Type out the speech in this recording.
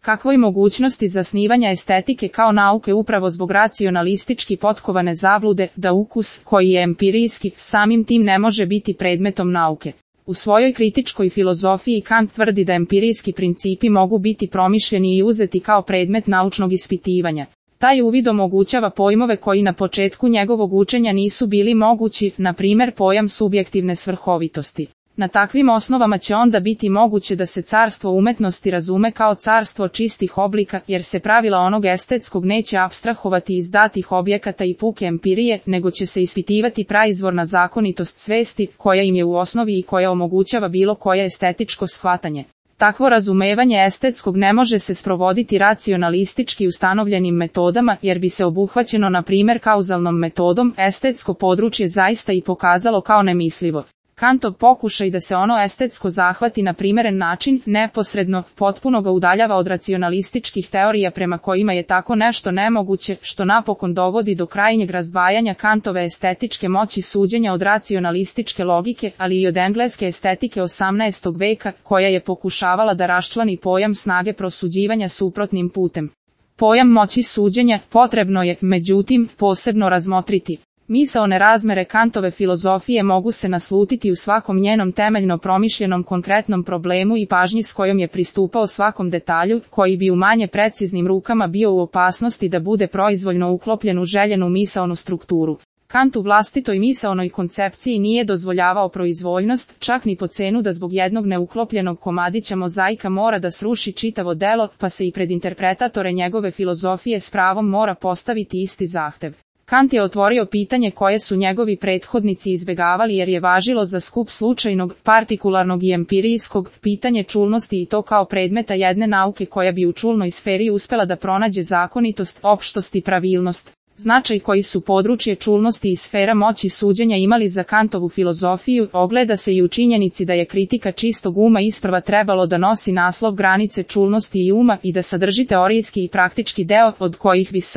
Kakvoj mogućnosti zasnivanja estetike kao nauke upravo zbog racionalistički potkovane zablude da ukus, koji je empirijski, samim tim ne može biti predmetom nauke. U svojoj kritičkoj filozofiji Kant tvrdi da empirijski principi mogu biti promišljeni i uzeti kao predmet naučnog ispitivanja. Taj uvid omogućava pojmove koji na početku njegovog učenja nisu bili mogući, na primjer pojam subjektivne svrhovitosti. Na takvim osnovama će onda biti moguće da se carstvo umetnosti razume kao carstvo čistih oblika, jer se pravila onog estetskog neće apstrahovati iz datih objekata i puke empirije, nego će se ispitivati praizvorna zakonitost svesti, koja im je u osnovi i koja omogućava bilo koje estetičko shvatanje. Takvo razumevanje estetskog ne može se sprovoditi racionalistički ustanovljenim metodama, jer bi se obuhvaćeno na primjer kauzalnom metodom estetsko područje zaista i pokazalo kao nemislivo. Kantov pokušaj da se ono estetsko zahvati na primjeren način, neposredno, potpuno ga udaljava od racionalističkih teorija prema kojima je tako nešto nemoguće, što napokon dovodi do krajnjeg razdvajanja Kantove estetičke moći suđenja od racionalističke logike, ali i od engleske estetike 18. veka, koja je pokušavala da raščlani pojam snage prosuđivanja suprotnim putem. Pojam moći suđenja potrebno je, međutim, posebno razmotriti. Misaone razmere Kantove filozofije mogu se naslutiti u svakom njenom temeljno promišljenom konkretnom problemu i pažnji s kojom je pristupao svakom detalju, koji bi u manje preciznim rukama bio u opasnosti da bude proizvoljno uklopljen u željenu misaonu strukturu. Kant u vlastitoj misaonoj koncepciji nije dozvoljavao proizvoljnost, čak ni po cenu da zbog jednog neuklopljenog komadića mozaika mora da sruši čitavo delo, pa se i pred interpretatore njegove filozofije s pravom mora postaviti isti zahtev. Kant je otvorio pitanje koje su njegovi prethodnici izbjegavali jer je važilo za skup slučajnog, partikularnog i empirijskog, pitanje čulnosti i to kao predmeta jedne nauke koja bi u čulnoj sferi uspela da pronađe zakonitost, opštost i pravilnost. Značaj koji su područje čulnosti i sfera moći suđenja imali za Kantovu filozofiju ogleda se i u činjenici da je kritika čistog uma isprva trebalo da nosi naslov granice čulnosti i uma i da sadrži teorijski i praktički deo, od kojih bi s